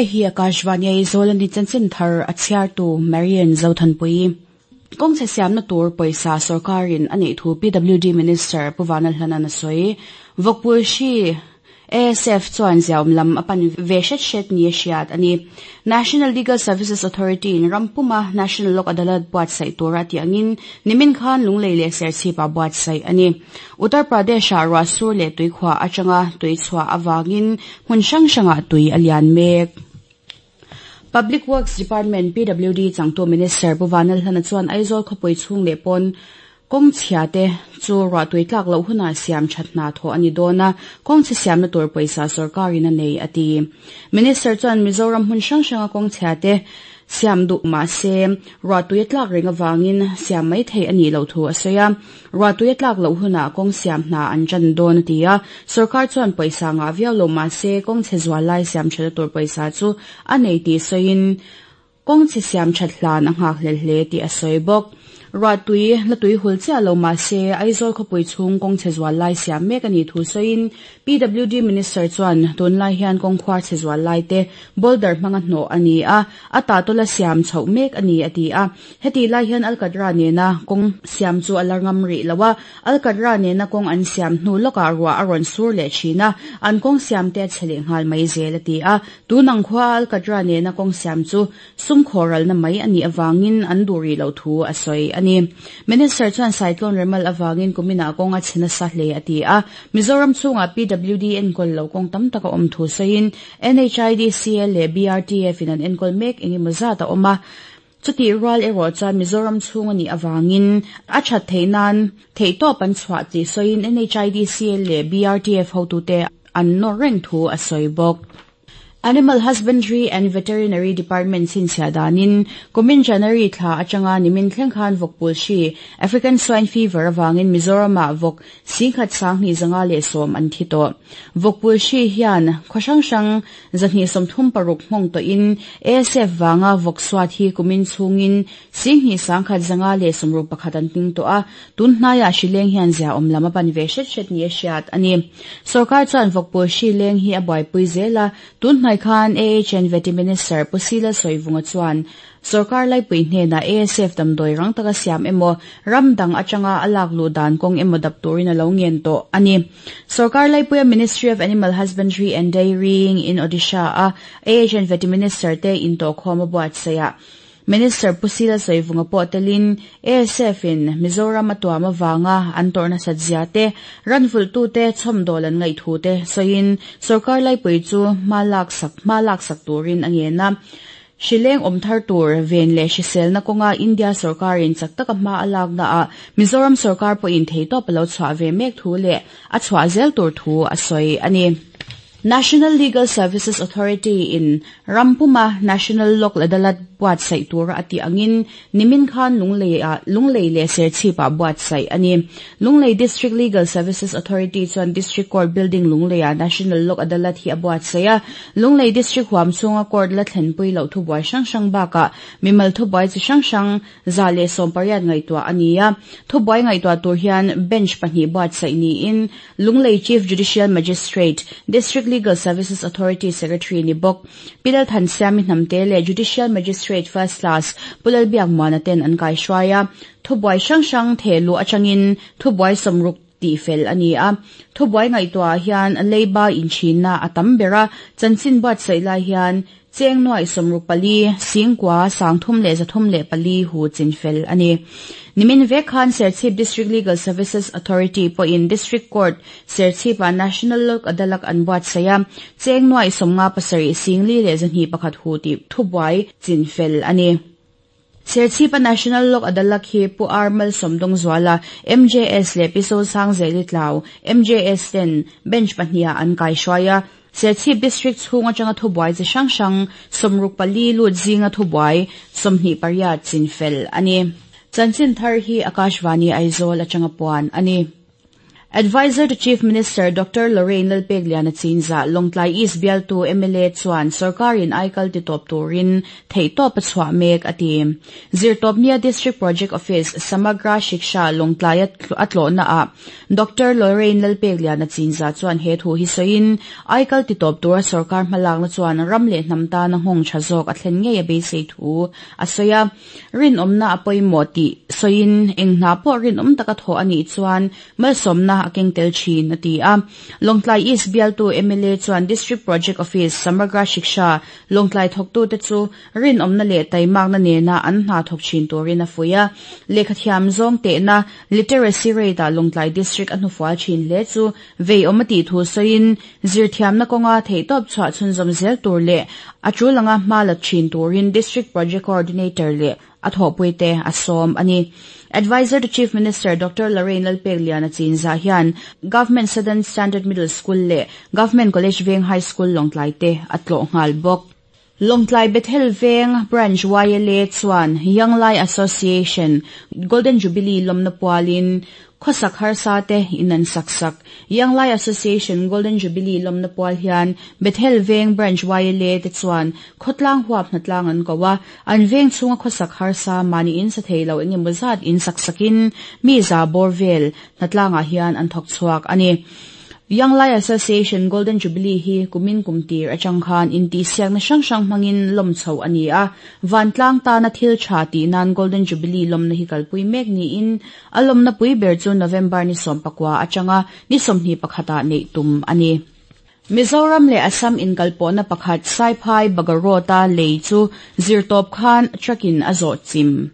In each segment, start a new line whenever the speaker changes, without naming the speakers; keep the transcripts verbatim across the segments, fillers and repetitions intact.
Hei hi Akashvani Aizawl ani chanchin thar a chhiartu Marian Zothanpui. Kawng chhe siamna tur pawisa sorkarin a neih thu PWD Minister Pu Vanlalhlana a sawi. Vawkpui hri ASF chuan ziaawm lam a pan ve hret hret ni a hriat a ni. National Legal Services Authority in rampuma National Lok Adalat buatsaih tura tih angin nimin khan Lunglei leh Serchhip-ah buatsaih a ni. Uttar Pradesh-ah ruah sur leh tuikhuah atanga tui chhuah awangin hmun hrang hrangah tui a lian mek. Public Works Department PWD changtu Minister Pu Vanlalhlana chuan Aizawl khawpui chhung leh pawn kawng chhia te chu ruah tui tlak loh hunah siam that hna thawh a ni dawn a, kawng chhe siamna tur pawisa sorkarin a nei a ti. Minister chuan Mizoram hmun hrang hranga kawng chhia te siam duh mah se ruah tui a tlak reng awangin siam mai thei a nih loh thu a sawi a. Ruah tui a tlak loh hunah kawng siam hna an tan dawn a ti a. Sorkar chuan pawisa ngah viau lo mah se kawng chhe zual lai siam thatna tur pawisa chu a nei tih sawiin kawng chhe siam that hlan a nghak hlel hle tih a sawi bawk. Ruah tui la tui hul chiah lo mah se Aizawl khawpui chhung kawng chhe zual lai siam mek a nih thu sawiin PWD Minister chuan tunlai hian kawng khuar chhe zual lai te boulder hmanga hnawh a ni a, a tah tawla siam chhoh mek a ni a ti a. Heti lai hian Alkatra nena kawng siam chu a la ngam rih lo a, Alkatra nena kawng an siam hnu lawkah ruah a rawn sur leh thin a, an kawng siam te a chhe leh nghal mai zel a ti a. Tunang khua Alkatra nena kawng siam chu sum khawralna mai a nih awangin an duh rih loh thu a sawi a ni. Minister chuan cyclone remal awangin kumina kawng a chhe nasa hle a ti a. Mizoram chhungah PWD enkawl lo kawng tam tak a awm thu sawiin NHIDCL leh BRTF in an enkawl mek engemaw zat a awm a. Chuti rual erawh chuan Mizoram chhung a nih awangin a that theih nan theihtawp an chhuah tih sawiin NHIDCL leh BRTF hotute an nawr reng thu a sawi bawk. Animal Husbandry and Veterinary Department chhinchhiah danin kumin January thla atanga nimin thleng khan vawkpul hri African swine fever awangin Mizoramah vawk singkhat sanghnih zanga leh sawm an thi tawh. Vawkpul hri hian khaw hrang hrang zahnih sawmthum paruk hmawng tawhin ASF wanga vawk suat hi kumin chhungin singhnih sangkhat zanga leh sawmruk pakhat an ping tawh a. Tun hnaiah hri leng hian ziaawm lam a pan ve hret hret ni a hriat a ni. Sorkar chuan vawkpul hri leng hi a buaipui zel a. Tun hnai khan AHN Vety Minister Pu Sila Sawivunga chuan sorkar laipui hnenah ASF damdawi rang taka siam emaw ram dang atanga a lak luh dan kawng emaw dap turin a lo ngen tawh a ni. Sorkar laipuia Ministry of Animal Husbandry and Dairying in Odisha a AHN Vety Minister te intawh khawm a buatsaih Minister Pu Sila Sawivunga pawh telin ASF in Mizoram a tuam awanga an tawrhna sat zia te ran vulh te chhawmdawl an ngaih thu te sawiin sorkar laipui chu hma lak sak hma lak sak turin a ngen a. Hrileng awm thar tur ven leh hriselna kawnga India sorkarin chak taka hma a lakna ah Mizoram sorkar pawhin theihtawp a lo chhuah ve mek thu leh a chhuah zel tur thu a sawi a ni. National Legal Services Authority in Rampuma National Lok Adalat buatsaih tura a tih angin nimin khan Lunglei a Lunglei leh Serchhip-ah buatsaih a ni. Lunglei District Legal Services Authority chuan District Court Building Lunglei-ah National Lok Adalat hi a buatsaih a. Lunglei District huam chhunga court la thlenpui loh thubuai hrang hrang bakah mimal thubuai chi hrang hrang za leh sawm pariat ngaihtuah a ni a. Thubuai ngaihtuah tur hian bench pahnih buatsaih niin Lunglei Chief Judicial Magistrate District Legal Services Authority Secretary ni bawk Pilal Thansiami Hnamte leh Judicial Magistrate First Class Pulal Biak Muana ten an kai hruai a. Thubuai hrang hrang thehluh atangin thubuai sawmruk tih fel a ni a. Thubuai ngaihtuah hian leiba inthinna a tam ber a. Chanchin buatsaih lai hian cheng nuai sawmruk pali singkua sangthum leh zathum leh pali hu chin fel a ni. Nimin vek khan Serchhip District Legal Services Authority pawhin District Court Serchhip-ah National Lok Adalat an buatsaih a. Cheng nuai sawmnga pasarih singli leh zahnih pakhat hu tih thubuai chin fel a ni. Serchhip-a National Lok Adalat hi Pu Armal Sawmdawng Zuala MJS leh Piso Sang Zeli Tlau MJS ten bench pahnih an kai hruai a. Serchhip District chhung atanga thubuai chi hrang hrang sawmruk pali lut zinga thubuai sawmhnih pariat chin fel a ni. Chanchin thar hi Akashvani Aizawl atanga puan a ni. Advisor to Chief Minister Doctor Lorraine Lalpegliana Chinza Lawngtlai East bialtu M L A chuan sorkarin aikal ti tawp turin theihtawp a chhuah mek a ti. Zirtawpnia District Project Office Samagra Shiksha Lawngtlai a tlawhna ah Doctor Lorraine Lalpegliana Chinza chuan he thu hi sawiin aikal ti tawp tura sorkar hmalakna chuan ram leh hnam tana nghawng tha zawk a thlen ngei a beisei thu a sawi a. Rinawmna a pawimawh tih sawiin eng hna pawh rinawm taka thawh a nih chuan malsawmna a keng tel thin a ti a. Lawngtlai East bialtu M L A chuan District Project Office Samagra Shiksha Lawngtlai thawktute chu rinawmna leh taimakna nena an hna thawk thin turin a fuih a. Lehkhathiam zawng tehna literacy rate ah Lawngtlai District a hnufual thin hle chu veiawm a tih thu sawiin zirthiamna kawnga theihtawp chhuah chhunzawm zel tur leh a tul anga hma la thin turin District Project Coordinator leh a thawhpuite a sawm a ni. Advisor to Chief Minister Doctor Lorraine Lalpegliana Chinza hian Government Southern Standard Middle School leh Government College Veng High School Lawngtlai te a tlawh nghal bawk. Lawngtlai Bethel Veng Branch Y L A chuan Young Lai Association Golden Jubilee lawmna pualin khawsak harsa te in an sak sak. Young Lai Association Golden Jubilee lawmna pual hian Bethel Veng Branch Y L A te chuan khawtlang huap hnatlang an ko a. An veng chhunga khawsak harsa mahni in sa thei lo engemaw zat in sak sakin mi za bawr vel hnatlangah hian an thawk chhuak a ni. Young Lai Association Golden Jubilee hi kumin kumtir atang khan intihsiakna hrang hrang hmangin lawm chho a ni a. Vantlang tana thil tha tih nan Golden Jubilee lawmna hi kalpui mek niin a lawmna pui ber chu November ni sawm pakua atanga ni sawmhnih pakhatah neih tum a ni. Mizoram leh Assam inkalpawhna pakhat Saiphai Bagarota lei chu zirtawp khan truck-in a zawh chim.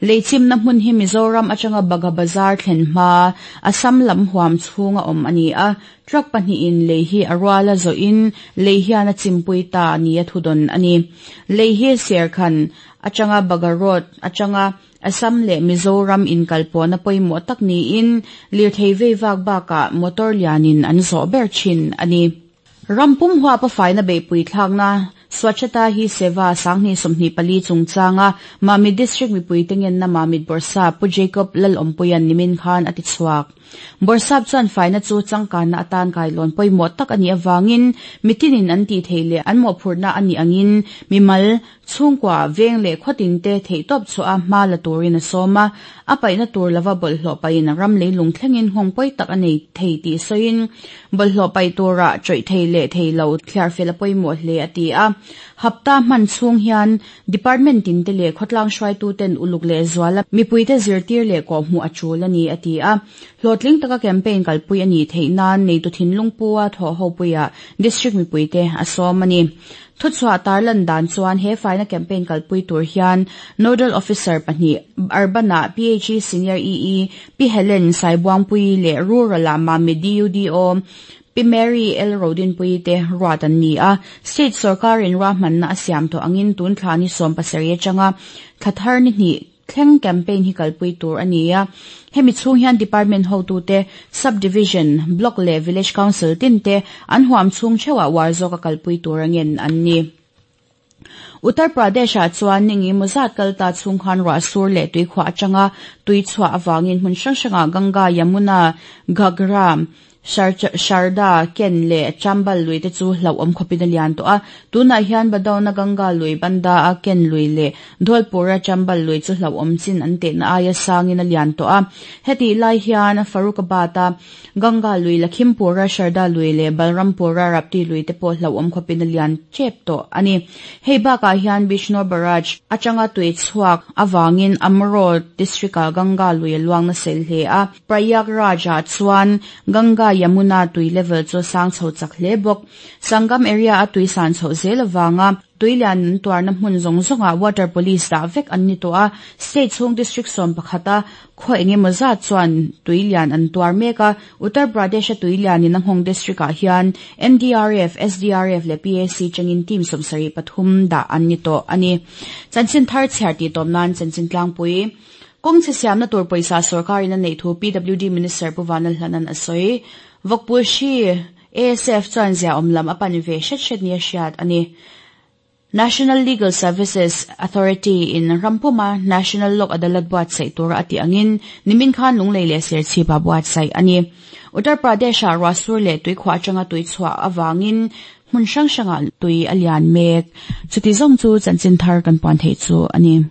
Leichimna hmun hi Mizoram atanga Bagha Bazar thlen hma Assam lam huam chhunga awm a ni a. Truck pahnihin lei hi a ruala zawhin lei hian a chimpui ta ni a thudawn a ni. Lei hi Serkhan atanga Bagha Road atanga Assam leh Mizoram inkalpawhna pawimawh tak niin lirthei vei vak bakah motor lianin an zawh ber thin a ni. Rampum huapa faina beihpui thlakna Swachhata Hi Seva sanghnih sawmhnih pali chungchanga Mamit District mipui tengenna Mamit Bawrhsap Pu Jacob Lalawmpuian nimin khan a ti chhuak. Bawrhsap chuan faina chu changkanna atan kailawn pawimawh tak a nih awangin mitinin an tih thei leh an mawhphurhna a nih angin mimal chhungkua veng leh khawtin te theihtawp chhuah a hma la turin a sawm a. A paihna tur lova bawlhhlawh pahin ram leilung thlengin nghawng pawi tak a nei thei tih sawiin bawlhhlawh paih turah chawih thei leh thei lo thliar fel a pawimawh hle a ti a. Hapta hman chhung hian department tin te leh khawtlang hruaitu ten uluk leh zuala mipui te zirtir leh kawhhmuh a tul a ni a ti a. Hlawhtling taka campaign kalpui a nih theih nan neitu thinlung pua thawh ho puiah district mipui te a sawm a ni. Thuchhuah tarlan dan chuan he faina campaign kalpui tur hian nodal officer pahnih Urbana P H E Senior E E Pi Helen Saibuangpui leh Rural ah Mamit D U D O Pi Mary L Rodinpui te ruat an ni a. State sorkarin ruahmanna a siam tawh angin tun thla ni sawm pasarih atanga thla thar ni hnih thleng campaign hi kalpui tur a ni a. Hemi chhung hian department hotute sub-division, block leh village council tin te an huam chhung theuhah war zawk a kalpui tur angin an ni. Uttar Pradesh ah chuan ningi muzat kalta chhung khan ruah sur leh tuikhuah atanga tui chhuah awangin hmun hrang hrangah Ganga, Yamuna, Ghagra, Sharda, Ken leh Chambal lui te chu hlauhawm khawpin a lian tawh a. Tunah hian Badauna Ganga lui banda a Ken lui leh Dholpura Chambal lui chu hlauhawm chin an tehna aia sangin a lian tawh a. Hetih lai hian Farrukhabad a Ganga lui, Lakhimpura Sharda lui leh Balrampura Rapti lui te pawh hlauhawm khawpin a lian tep tawh a ni. Hei bakah hian Bijnor Barrage atanga tui chhuak awangin Amroha district ah Ganga lui a luang nasa hle a. Prayagraj ah chuan Ganga Yamuna tui level chu sang chho chak hle bawk. Sangam area a tui san chho zel awanga tuilian an tuarna hmun zawng zawngah water police dah vek an ni tawh a. State chhung district sawm pakhata khaw engemaw zat chuan tuilian an tuar mek a. Uttar Pradesh a tuilianin a nghawng district ah hian N D R F, S D R F leh P A C changin team sawmsarih pathum dah an ni tawh a ni. Chanchin thar chhiar tih tawp nan chanchin tlangpui. Kawng chhe siamna tur pawisa sorkarin a neih thu P W D Minister Pu Vanlalhlanan a sawi. Vawkpui hri A S F chuan zia awm lam a pan ve hret hret ni a hriat a ni. National Legal Services Authority in rampuma National Lok Adalat buatsaih tura ati angin nimin khan Lunglei leh Serchhip ah buatsaih a ni. Uttar Pradesh ah ruahsur leh tuikhuah atanga tui chhuah awangin hmun hrang hrangah tui a lian mek. Chuti zawng chu chanchin thar kan puan theih chu a ni.